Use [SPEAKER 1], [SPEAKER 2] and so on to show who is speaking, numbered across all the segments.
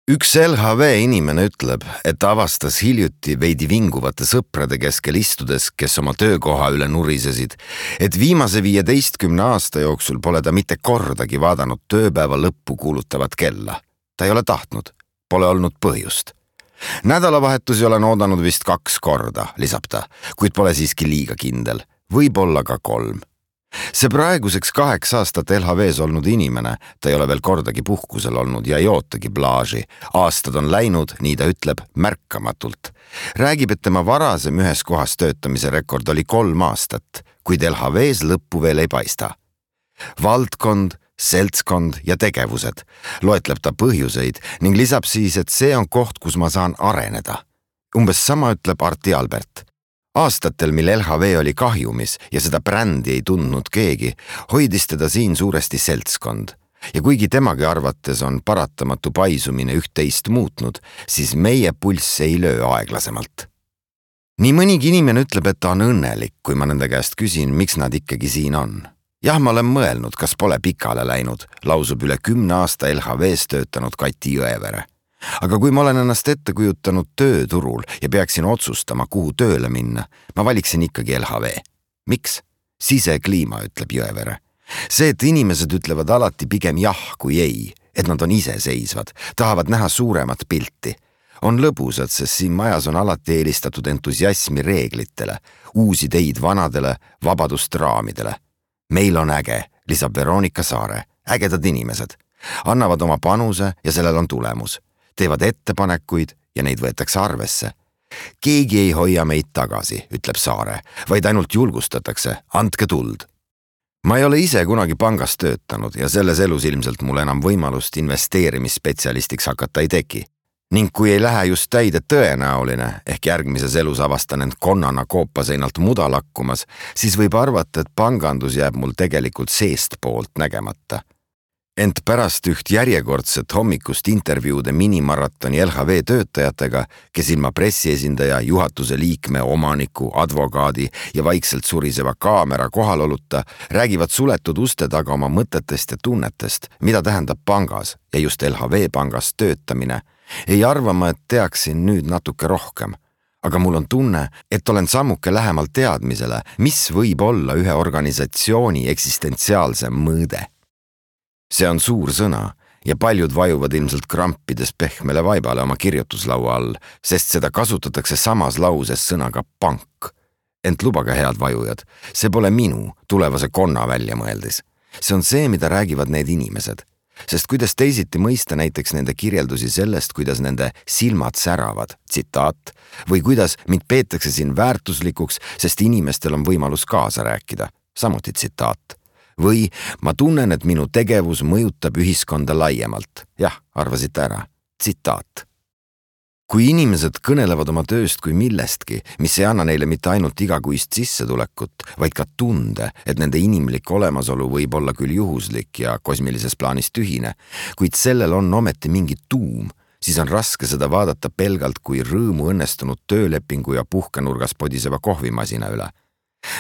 [SPEAKER 1] Üks LHV inimene ütleb, et avastas hiljuti veidi vinguvate sõprade keskel istudes, kes oma töökoha üle nurisesid, et viimase 15 aasta jooksul pole ta mitte kordagi vaadanud tööpäeva lõppu kuulutavat kella. Ta ei ole tahtnud, pole olnud põhjust. Nädalavahetusi olen oodanud vist 2 korda, lisab ta, kuid pole siiski liiga kindel, võib-olla ka 3. See praeguseks 8 aastat LHVs olnud inimene, ta ei ole veel kordagi puhkusel olnud ja ei ootagi plaaži. Aastad on läinud, nii ta ütleb, märkamatult. Räägib, et tema varasem ühes kohas töötamise rekord oli 3 aastat, kuid LHVs lõppu veel ei paista. Valdkond, seltskond ja tegevused. Loetleb ta põhjuseid ning lisab siis, et see on koht, kus ma saan areneda. Umbes sama ütleb Arti Albert. Aastatel, mil LHV oli kahjumis ja seda brändi ei tundnud keegi, hoidis teda siin suuresti seltskond. Ja kuigi temagi arvates on paratamatu paisumine üht-teist muutnud, siis meie pulss ei löö aeglasemalt. Nii mõnigi inimene ütleb, et ta on õnnelik, kui ma nende käest küsin, miks nad ikkagi siin on. Jah, ma olen mõelnud, kas pole pikale läinud, lausub üle 10 aasta LHVs töötanud Kati Jõevere. Aga kui ma olen ennast ette kujutanud tööturul ja peaksin otsustama, kuhu tööle minna, ma valiksin ikkagi LHV. Miks? Sisekliima, ütleb Jõevere. See, et inimesed ütlevad alati pigem jah kui ei, et nad on iseseisvad, tahavad näha suuremat pilti. On lõbusad, sest siin majas on alati eelistatud entusiasmi reeglitele, uusi ideid vanadele, vabadust raamidele. Meil on äge, lisab Veronika Saare, ägedad inimesed. Annavad oma panuse ja sellel on tulemus. Teevad ettepanekuid ja neid võetakse arvesse. Keegi ei hoia meid tagasi, ütleb Saare, vaid ainult julgustatakse, andke tuld. Ma ei ole ise kunagi pangas töötanud ja selles elus ilmselt mul enam võimalust investeerimisspetsialistiks hakata ei teki. Ning kui ei lähe just täide tõenäoline, ehk järgmises elus avastan end konnana koopaseinalt muda lakkumas, siis võib arvata, et pangandus jääb mul tegelikult seest poolt nägemata. Ent pärast üht järjekordset hommikust intervjuude minimaratoni LHV töötajatega, kes ilma pressiesindaja, juhatuse liikme, omaniku, advokaadi ja vaikselt suriseva kaamera kohaloluta, räägivad suletud uste taga oma mõtetest ja tunnetest, mida tähendab pangas ja just LHV pangas töötamine, ei arva ma, et teaksin nüüd natuke rohkem. Aga mul on tunne, et olen sammuke lähemalt teadmisele, mis võib olla ühe organisatsiooni eksistentsiaalse mõõde. See on suur sõna ja paljud vajuvad ilmselt krampides pehmele vaibale oma kirjutuslaua all, sest seda kasutatakse samas lauses sõnaga pank. Ent lubage head vajujad, see pole minu tulevase konna välja mõeldis. See on see, mida räägivad need inimesed. Sest kuidas teisiti mõista näiteks nende kirjeldusi sellest, kuidas nende silmad säravad, tsitaat, või kuidas mind peetakse siin väärtuslikuks, sest inimestel on võimalus kaasa rääkida, samuti tsitaat. Või ma tunnen, et minu tegevus mõjutab ühiskonda laiemalt. Jah, arvasite ära. Tsitaat. Kui inimesed kõnelevad oma tööst kui millestki, mis ei anna neile mitte ainult igakuist sissetulekut, vaid ka tunde, et nende inimlik olemasolu võib olla küll juhuslik ja kosmilises plaanis tühine, kuid sellel on ometi mingi tuum, siis on raske seda vaadata pelgalt kui rõõmu õnnestunud töölepingu ja puhkenurgas podiseva kohvimasina üle.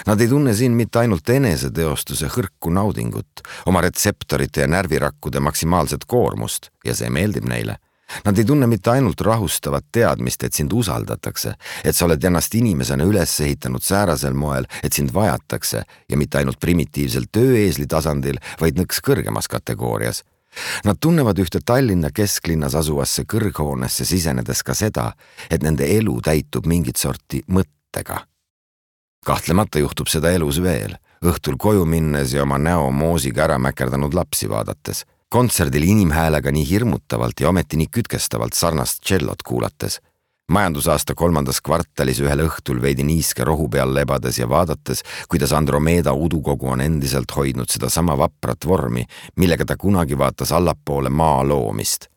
[SPEAKER 1] Nad ei tunne siin mitte ainult eneseteostuse hõrku naudingut, oma retseptorite ja närvirakkude maksimaalset koormust ja see meeldib neile. Nad ei tunne mitte ainult rahustavat teadmist, et sind usaldatakse, et sa oled ennast inimesena üles ehitanud säärasel moel, et sind vajatakse ja mitte ainult primitiivsel tööeesli tasandil, vaid nõks kõrgemas kategoorias. Nad tunnevad ühte Tallinna kesklinnas asuvasse kõrghoonesse sisenedes ka seda, et nende elu täitub mingit sorti mõttega. Kahtlemata juhtub seda elus veel, õhtul koju minnes ja oma näo moosiga ära mäkerdanud lapsi vaadates, kontserdil inimhäälega nii hirmutavalt ja ometi nii kütkestavalt sarnast tšellot kuulates, majandusaasta 3. kvartalis ühel õhtul veidi niiske rohu peal lebades ja vaadates, kuidas Andromeeda udukogu on endiselt hoidnud seda sama vaprat vormi, millega ta kunagi vaatas allapoole maa loomist.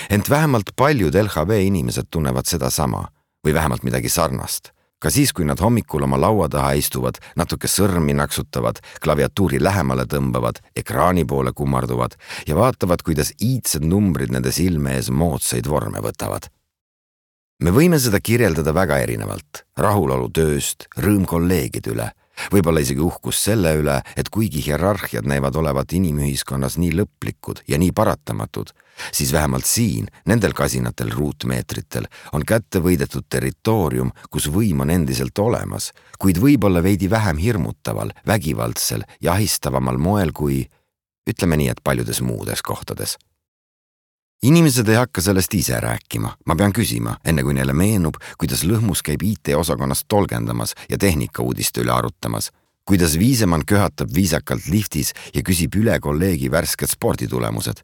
[SPEAKER 1] Ent vähemalt paljud LHV inimesed tunnevad seda sama või vähemalt midagi sarnast. Ka siis, kui nad hommikul oma laua taha istuvad, natuke sõrmi naksutavad, klaviatuuri lähemale tõmbavad, ekraani poole kummarduvad ja vaatavad, kuidas iidsed numbrid nende silme ees moodsaid vorme võtavad. Me võime seda kirjeldada väga erinevalt, rahulolu tööst, rõõm kolleegide üle, Võib-olla isegi uhkus selle üle, et kuigi hierarhiad näivad olevat inimühiskonnas nii lõplikud ja nii paratamatud, siis vähemalt siin, nendel kasinatel ruutmeetritel, on kätte võidetud territoorium, kus võim on endiselt olemas, kuid võib-olla veidi vähem hirmutaval, vägivaldsel ja ahistavamal moel kui, ütleme nii, et paljudes muudes kohtades. Inimesed ei hakka sellest ise rääkima, ma pean küsima, enne kui neile meenub, kuidas Lõhmus käib IT-osakonnas tolgendamas ja tehnikauudiste üle arutamas, kuidas Viisemann köhatab viisakalt liftis ja küsib üle kolleegi värsked sporditulemused,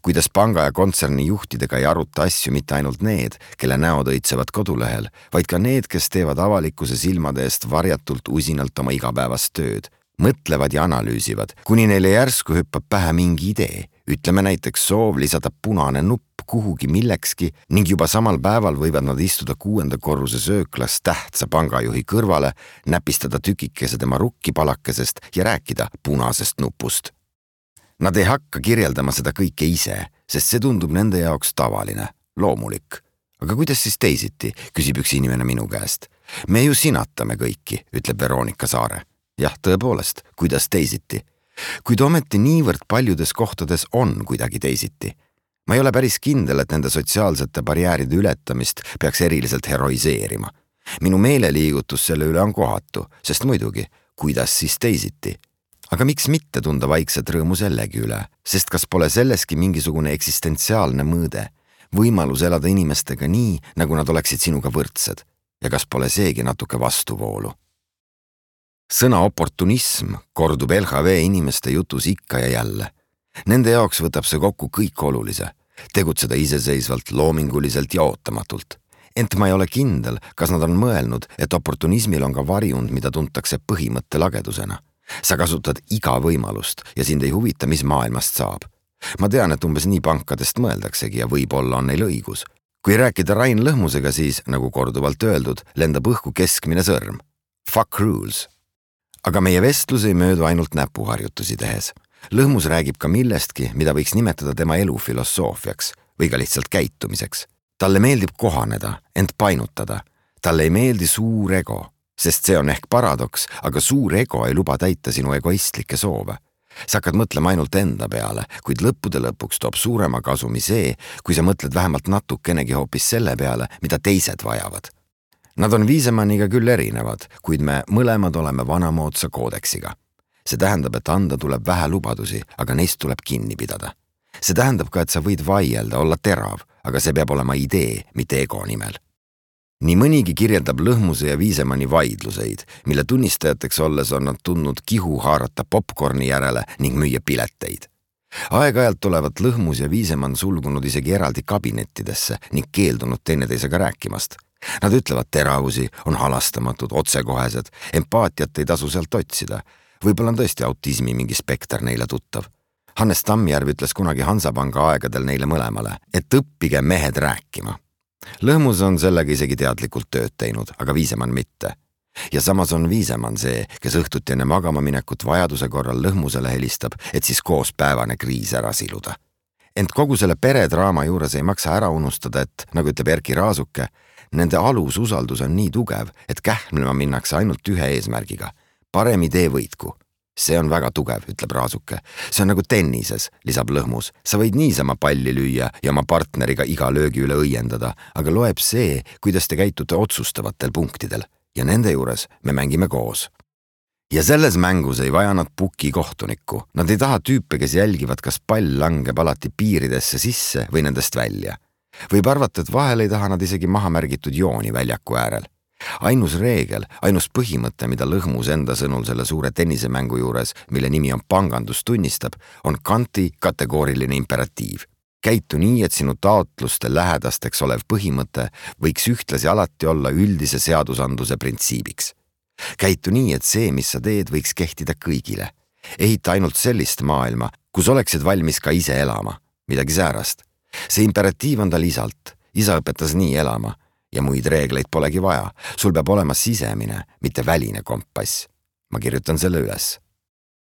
[SPEAKER 1] kuidas panga ja kontserni juhtidega ei aruta asju mitte ainult need, kelle näod õitsevad kodulehel, vaid ka need, kes teevad avalikkuse silmade eest varjatult usinalt oma igapäevast tööd, mõtlevad ja analüüsivad, kuni neile järsku hüppab pähe mingi idee. Ütleme näiteks soov lisada punane nupp kuhugi millekski ning juba samal päeval võivad nad istuda 6. korruse sööklas tähtsa pangajuhi kõrvale, näpistada tükikese tema rukkipalakesest ja rääkida punasest nupust. Nad ei hakka kirjeldama seda kõike ise, sest see tundub nende jaoks tavaline, loomulik. Aga kuidas siis teisiti, küsib üks inimene minu käest. Me ju sinatame kõiki, ütleb Veronika Saare. Jah, tõepoolest, kuidas teisiti? Kuid ometi niivõrd paljudes kohtades on kuidagi teisiti. Ma ei ole päris kindel, et nende sotsiaalsete barjääride ületamist peaks eriliselt heroiseerima. Minu meeleliigutus selle üle on kohatu, sest muidugi, kuidas siis teisiti? Aga miks mitte tunda vaikset rõõmu sellegi üle, sest kas pole selleski mingisugune eksistentsiaalne mõõde, võimalus elada inimestega nii, nagu nad oleksid sinuga võrdsed, ja kas pole seegi natuke vastuvoolu? Sõna oportunism kordub LHV inimeste jutus ikka ja jälle. Nende jaoks võtab see kokku kõik olulise, tegutseda iseseisvalt, loominguliselt ja ootamatult. Ent ma ei ole kindel, kas nad on mõelnud, et oportunismil on ka varjund, mida tuntakse põhimõtte lagedusena. Sa kasutad iga võimalust ja sind ei huvita, mis maailmast saab. Ma tean, et umbes nii pankadest mõeldaksegi ja võib-olla on neil õigus. Kui rääkida Rain Lõhmusega, siis, nagu korduvalt öeldud, lendab õhku keskmine sõrm. Fuck rules. Aga meie vestlus ei möödu ainult näpuharjutusi tehes. Lõhmus räägib ka millestki, mida võiks nimetada tema elufilosoofiaks või ka lihtsalt käitumiseks. Talle meeldib kohaneda, ent painutada. Talle ei meeldi suur ego, sest see on ehk paradoks, aga suur ego ei luba täita sinu egoistlikke soove. Sa hakkad mõtlema ainult enda peale, kuid lõppude lõpuks toob suurema kasumi see, kui sa mõtled vähemalt natukenegi hoopis selle peale, mida teised vajavad. Nad on Viisemanniga küll erinevad, kuid me mõlemad oleme vanamoodsa koodeksiga. See tähendab, et anda tuleb vähe lubadusi, aga neist tuleb kinni pidada. See tähendab ka, et sa võid vaielda, olla terav, aga see peab olema idee, mitte ego nimel. Nii mõnigi kirjeldab Lõhmuse ja Viisemanni vaidluseid, mille tunnistajateks olles on nad tundnud kihu haarata popcorni järele ning müüa pileteid. Aeg-ajalt olevat Lõhmus ja Viisemann sulgunud isegi eraldi kabinettidesse ning keeldunud teineteisega rääkimast. Nad ütlevad teravusi, on halastamatud, otsekohesed, empaatiat ei tasu sealt otsida. Võib-olla on tõesti autismi mingi spekter neile tuttav. Hannes Tammjärv ütles kunagi Hansapanga aegadel neile mõlemale, et õppige mehed rääkima. Lõhmus on sellega isegi teadlikult tööd teinud, aga Viisemann mitte. Ja samas on Viisemann see, kes õhtuti enne magama minekut vajaduse korral Lõhmusele helistab, et siis koos päevane kriis ära siluda. Ent kogu selle peredraama juures ei maksa ära unustada, et, nagu ütleb Erki Raasuke, nende alususaldus on nii tugev, et kähmlema minnakse ainult ühe eesmärgiga. Parem idee võitku. See on väga tugev, ütleb Raasuke. See on nagu tennises, lisab Lõhmus. Sa võid niisama palli lüüa ja oma partneriga iga löögi üle õiendada, aga loeb see, kuidas te käitute otsustavatel punktidel. Ja nende juures me mängime koos. Ja selles mängus ei vaja nad puki kohtunikku. Nad ei taha tüüpe, kes jälgivad, kas pall langeb alati piiridesse sisse või nendest välja. Võib arvata, et vahel ei taha nad isegi maha märgitud jooni väljaku äärel. Ainus reegel, ainus põhimõte, mida Lõhmus enda sõnul selle suure tennisemängu juures, mille nimi on pangandus tunnistab, on Kanti kategooriline imperatiiv. Käitu nii, et sinu taotluste lähedasteks olev põhimõte võiks ühtlasi alati olla üldise seadusandluse printsiibiks. Käitu nii, et see, mis sa teed, võiks kehtida kõigile. Ehita ainult sellist maailma, kus oleksid valmis ka ise elama, midagi säärast. See imperatiiv on tal isalt. Isa õpetas nii elama ja muid reegleid polegi vaja. Sul peab olema sisemine, mitte väline kompass. Ma kirjutan selle üles.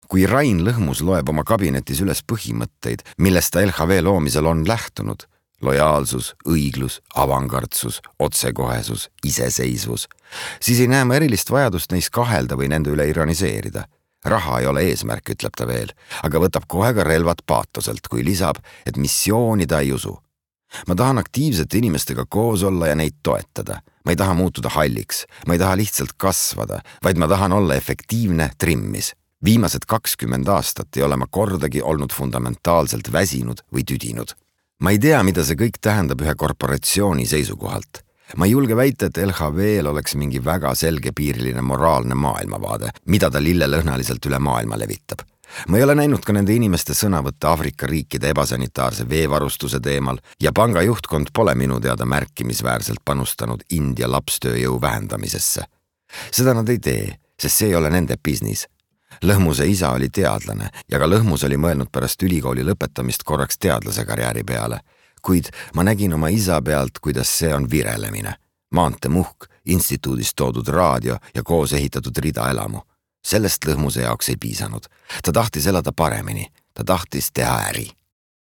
[SPEAKER 1] Kui Rain Lõhmus loeb oma kabinetis üles põhimõtteid, millest ta LHV loomisel on lähtunud, lojaalsus, õiglus, avangardsus, otsekohesus, iseseisvus, siis ei näe ma erilist vajadust neis kahelda või nende üle ironiseerida. Raha ei ole eesmärk, ütleb ta veel, aga võtab kohe ka relvad paatoselt, kui lisab, et missiooni ta ei usu. Ma tahan aktiivsete inimestega koos olla ja neid toetada. Ma ei taha muutuda halliks, ma ei taha lihtsalt kasvada, vaid ma tahan olla efektiivne trimmis. Viimased 20 aastat ei ole ma kordagi olnud fundamentaalselt väsinud või tüdinud. Ma ei tea, mida see kõik tähendab ühe korporatsiooni seisukohalt. Ma ei julge väita, et LHV-l oleks mingi väga selgepiiriline moraalne maailmavaade, mida ta lillelõhnaliselt üle maailma levitab. Ma ei ole näinud ka nende inimeste sõnavõtte Aafrika riikide ebasanitaarse veevarustuse teemal ja panga juhtkond pole minu teada märkimisväärselt panustanud India lapstööjõu vähendamisesse. Seda nad ei tee, sest see ei ole nende business. Lõhmuse isa oli teadlane ja ka Lõhmus oli mõelnud pärast ülikooli lõpetamist korraks teadlase karjääri peale, kuid ma nägin oma isa pealt, kuidas see on virelemine. Maantemuhk, instituudist toodud raadio ja koos ehitatud ridaelamu. Sellest Lõhmuse jaoks ei piisanud. Ta tahtis elada paremini, ta tahtis teha äri.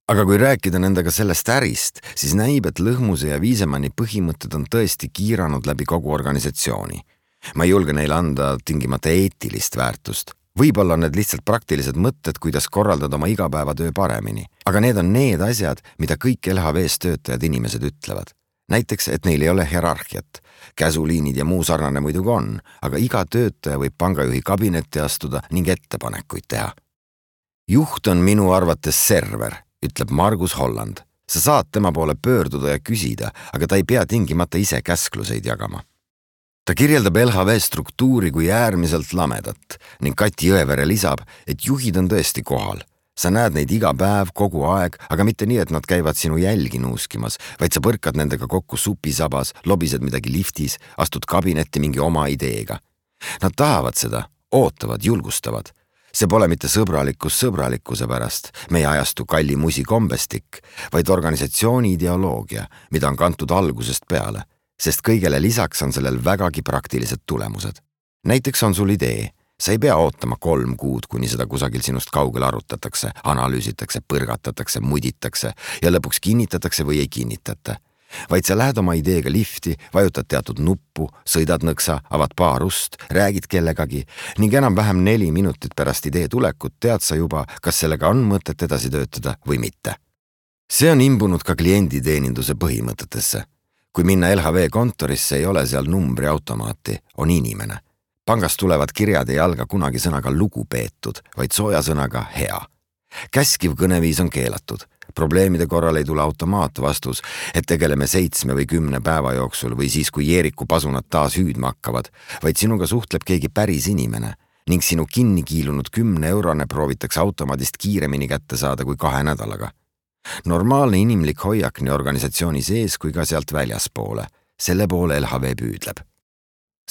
[SPEAKER 1] Aga kui rääkida nendega sellest ärist, siis näib, et Lõhmuse ja Viisemanni põhimõtted on tõesti kiiranud läbi kogu organisatsiooni. Ma ei julge neile anda tingimata eetilist väärtust. Võib-olla on need lihtsalt praktilised mõtted, kuidas korraldada oma igapäevatöö paremini. Aga need on need asjad, mida kõik LHV-s töötajad inimesed ütlevad. Näiteks, et neil ei ole hierarhiat. Käsuliinid ja muu sarnane muidugi on, aga iga töötaja võib pangajuhi kabinetti astuda ning ettepanekuid teha. Juht on minu arvates server, ütleb Margus Holland. Sa saad tema poole pöörduda ja küsida, aga ta ei pea tingimata ise käskluseid jagama. Ta kirjeldab LHV struktuuri kui äärmiselt lamedat ning Kati Jõevere lisab, et juhid on tõesti kohal. Sa näed neid iga päev, kogu aeg, aga mitte nii, et nad käivad sinu jälgi nuuskimas, vaid sa põrkad nendega kokku supisabas, lobised midagi liftis, astud kabinetti mingi oma ideega. Nad tahavad seda, ootavad, julgustavad. See pole mitte sõbralikkus sõbralikkuse pärast, meie ajastu kalli musikombestik, vaid organisatsiooni ideoloogia, mida on kantud algusest peale, sest kõigele lisaks on sellel vägagi praktilised tulemused. Näiteks on sul idee. Sa ei pea ootama 3 kuud, kuni seda kusagil sinust kaugel arutatakse, analüüsitakse, põrgatatakse, muditakse ja lõpuks kinnitatakse või ei kinnitata. Vaid sa lähed oma ideega lifti, vajutad teatud nuppu, sõidad nõksa, avad paar ust, räägid kellegagi ning enam-vähem 4 minutit pärast idee tulekut tead sa juba, kas sellega on mõtet edasi töötada või mitte. See on imbunud ka klienditeeninduse põhimõtetesse. Kui minna LHV kontorisse, ei ole seal numbriautomaati, on inimene. Pangast tulevad kirjad ei alga kunagi sõnaga lugupeetud, vaid sooja sõnaga hea. Käskiv kõneviis on keelatud. Probleemide korral ei tule automaatvastus, et tegeleme 7 või 10 päeva jooksul või siis, kui Jeeriku pasunad taas hüüdma hakkavad, vaid sinuga suhtleb keegi päris inimene ning sinu kinni kiilunud 10-eurone proovitakse automaadist kiiremini kätte saada kui 2 nädalaga. Normaalne inimlik hoiak nii organisatsiooni sees kui ka sealt väljaspoole. Selle poole LHV püüdleb.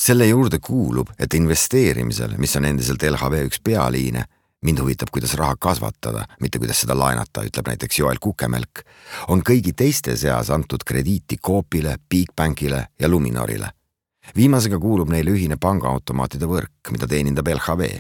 [SPEAKER 1] Selle juurde kuulub, et investeerimisel, mis on endiselt LHV üks pealiine, mind huvitab, kuidas raha kasvatada, mitte kuidas seda laenata, ütleb näiteks Joel Kukemelk, on kõigi teiste seas antud krediiti Coopile, Bigbankile ja Luminorile. Viimasega kuulub neile ühine pangaautomaatide võrk, mida teenindab LHV.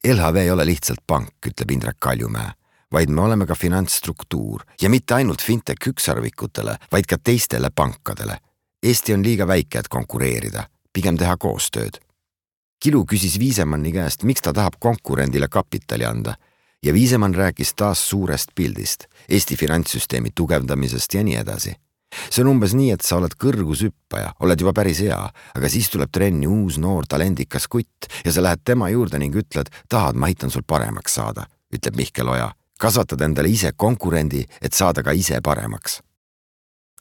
[SPEAKER 1] LHV ei ole lihtsalt pank, ütleb Indrek Kaljumäe, vaid me oleme ka finantsstruktuur ja mitte ainult fintech üksarvikutele, vaid ka teistele pankadele. Eesti on liiga väike, et konkureerida. Pigem teha koostööd. Kilu küsis Viisemanni käest, miks ta tahab konkurendile kapitali anda ja Viisemann rääkis taas suurest pildist, Eesti finantssüsteemi tugevdamisest ja nii edasi. See on umbes nii, et sa oled kõrgushüppaja, oled juba päris hea, aga siis tuleb trenni uus noor talendikas kutt ja sa lähed tema juurde ning ütled, tahad, ma aitan sul paremaks saada, ütleb Mihkel Oja. Kasvatad endale ise konkurendi, et saada ka ise paremaks.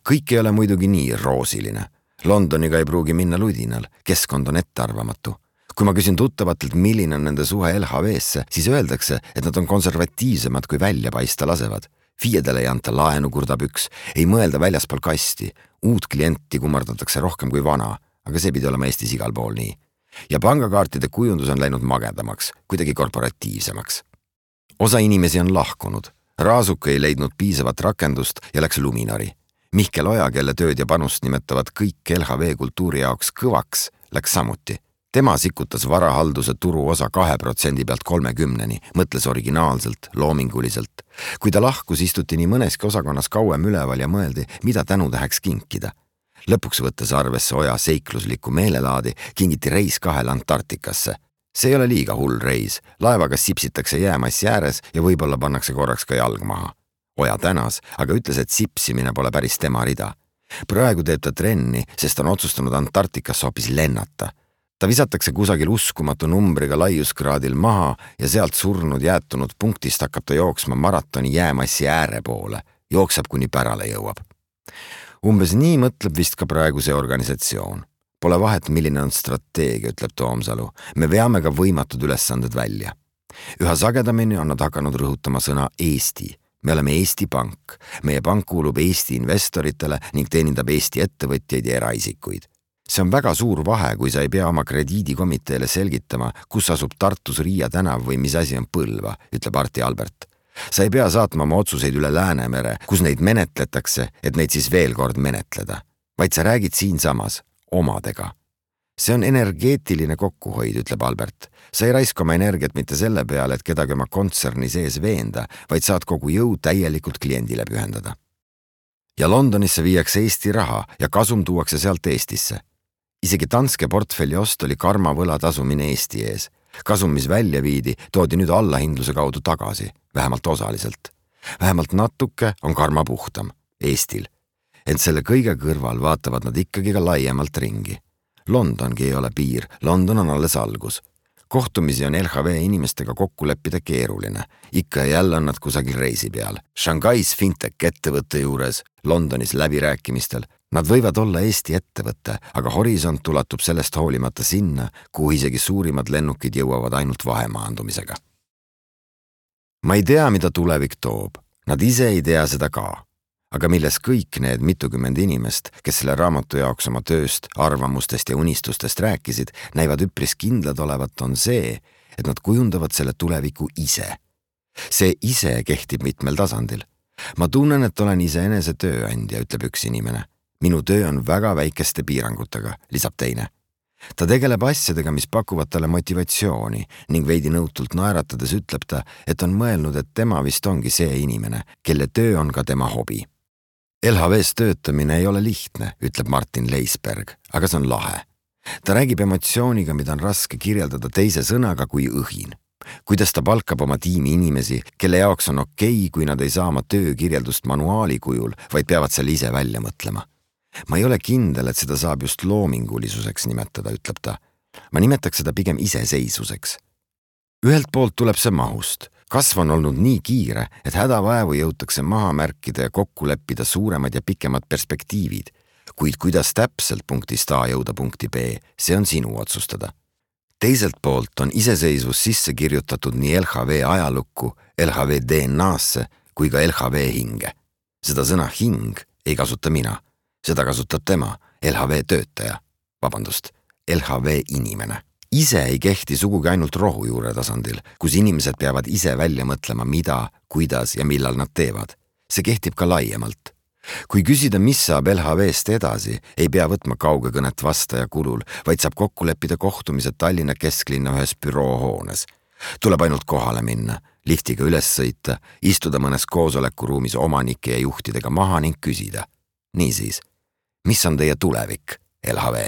[SPEAKER 1] Kõik ei ole muidugi nii roosiline. Londoniga ei pruugi minna ludinal, keskkond on ettearvamatu. Kui ma küsin tuttavatelt, milline on nende suhe LHV-sse, siis öeldakse, et nad on konservatiivsemad kui välja paista lasevad. Fiedele ei anta laenu, kurdab üks, ei mõelda väljaspool kasti. Uut klienti kummardatakse rohkem kui vana, aga see pidi olema Eestis igal pool nii. Ja pangakaartide kujundus on läinud magedamaks, kuidagi korporatiivsemaks. Osa inimesi on lahkunud. Raasuk ei leidnud piisavat rakendust ja läks Luminori. Mihkel Oja, kelle tööd ja panust nimetavad kõik LHV kultuuri jaoks kõvaks, läks samuti. tema sikutas varahalduse turuosa 2% pealt 30%, mõtles originaalselt, loominguliselt. Kui ta lahkus, istuti nii mõneski osakonnas kauem üleval ja mõeldi, mida tänutäheks kinkida. Lõpuks võttes arvesse Oja seikluslikku meelelaadi, kingiti reis 2 Antarktikasse. See ei ole liiga hull reis, laevaga sipsitakse jäämassi ääres ja võib-olla pannakse korraks ka jalg maha. Oja tänas, aga ütles, et sipsimine pole päris tema rida. Praegu teeb ta trenni, sest on otsustanud Antarktikasse hoopis lennata. Ta visatakse kusagil uskumatu numbriga laiuskraadil maha ja sealt surnud jäätunud punktist hakkab ta jooksma maratoni jäämassi ääre poole. Jookseb, kuni pärale jõuab. Umbes nii mõtleb vist ka praegu see organisatsioon. Pole vahet, milline on strateegia, ütleb Toomsalu. Me veame ka võimatud ülesanded välja. Üha sagedamini on nad hakanud rõhutama sõna Eesti. Me oleme Eesti Pank. Meie pank kuulub Eesti investoritele ning teenindab Eesti ettevõtjaid ja eraisikuid. See on väga suur vahe, kui sa ei pea oma krediidikomiteele selgitama, kus asub Tartus Riia tänav või mis asi on Põlva, ütleb Arti Albert. Sa ei pea saatma oma otsuseid üle Läänemere, kus neid menetletakse, et neid siis veel kord menetleda. Vaid sa räägid siinsamas, omadega. See on energeetiline kokkuhoid, ütleb Albert. Sa ei raiska oma energiat mitte selle peale, et kedagi oma kontserni sees veenda, vaid saad kogu jõu täielikult kliendile pühendada. Ja Londonisse viiakse Eesti raha ja kasum tuuakse sealt Eestisse. Isegi Danske portfelli ost oli karma võla tasumine Eesti ees. Kasum, mis välja viidi, toodi nüüd allahindluse kaudu tagasi, vähemalt osaliselt. Vähemalt natuke on karma puhtam, Eestil. Ent selle kõige kõrval vaatavad nad ikkagi ka laiemalt ringi. Londongi ei ole piir, London on alles algus. Kohtumisi on LHV inimestega kokku leppida keeruline. Ikka ja jälle on nad kusagil reisi peal. Shanghais fintech ettevõtte juures, Londonis läbirääkimistel. Nad võivad olla Eesti ettevõtte, aga horisont ulatub sellest hoolimata sinna, kuhu isegi suurimad lennukid jõuavad ainult vahemaandumisega. Ma ei tea, mida tulevik toob. Nad ise ei tea seda ka. Aga milles kõik need mitukümmend inimest, kes selle raamatu jaoks oma tööst, arvamustest ja unistustest rääkisid, näivad üpris kindlad olevat, on see, et nad kujundavad selle tuleviku ise. See ise kehtib mitmel tasandil. Ma tunnen, et olen iseenese tööandja, ütleb üks inimene. Minu töö on väga väikeste piirangutega, lisab teine. Ta tegeleb asjadega, mis pakuvad talle motivatsiooni ning veidi nõutult naeratades ütleb ta, et on mõelnud, et tema vist ongi see inimene, kelle töö on ka tema hobi. LHVs töötamine ei ole lihtne, ütleb Martin Leisberg, aga see on lahe. Ta räägib emotsiooniga, mida on raske kirjeldada teise sõnaga kui õhin. Kuidas ta palkab oma tiimi inimesi, kelle jaoks on okei, kui nad ei saa oma töökirjeldust manuaali kujul, vaid peavad selle ise välja mõtlema. Ma ei ole kindel, et seda saab just loomingulisuseks nimetada, ütleb ta. Ma nimetaks seda pigem iseseisvuseks. Ühelt poolt tuleb see mahust. Kasv on olnud nii kiire, et hädavaevu jõutakse maha märkida ja kokku leppida suuremad ja pikemad perspektiivid. Kuid kuidas täpselt punktist A jõuda punkti B, see on sinu otsustada. Teiselt poolt on iseseisvus sisse kirjutatud nii LHV ajalukku, LHV DNA-sse kui ka LHV hinge. Seda sõna hing ei kasuta mina. Seda kasutab tema, LHV töötaja, LHV inimene. Ise ei kehti sugugi ainult rohujuure tasandil, kus inimesed peavad ise välja mõtlema, mida, kuidas ja millal nad teevad. See kehtib ka laiemalt. Kui küsida, mis saab LHV-st edasi, ei pea võtma kaugekõnet vastaja kulul, vaid saab kokku leppida kohtumised Tallinna kesklinna ühes büroohoones. Tuleb ainult kohale minna, liftiga üles sõita, istuda mõnes koosolekuruumis omanike ja juhtidega maha ning küsida. Niisiis, mis on teie tulevik, LHV?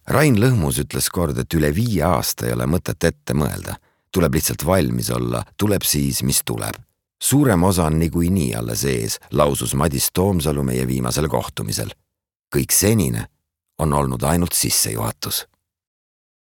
[SPEAKER 1] Rain Lõhmus ütles kord, et üle 5 aasta ei ole mõtet ette mõelda. Tuleb lihtsalt valmis olla, tuleb siis, mis tuleb. Suurem osa on niikuinii alles ees, lausus Madis Toomsalu meie viimasel kohtumisel. Kõik senine on olnud ainult sissejuhatus.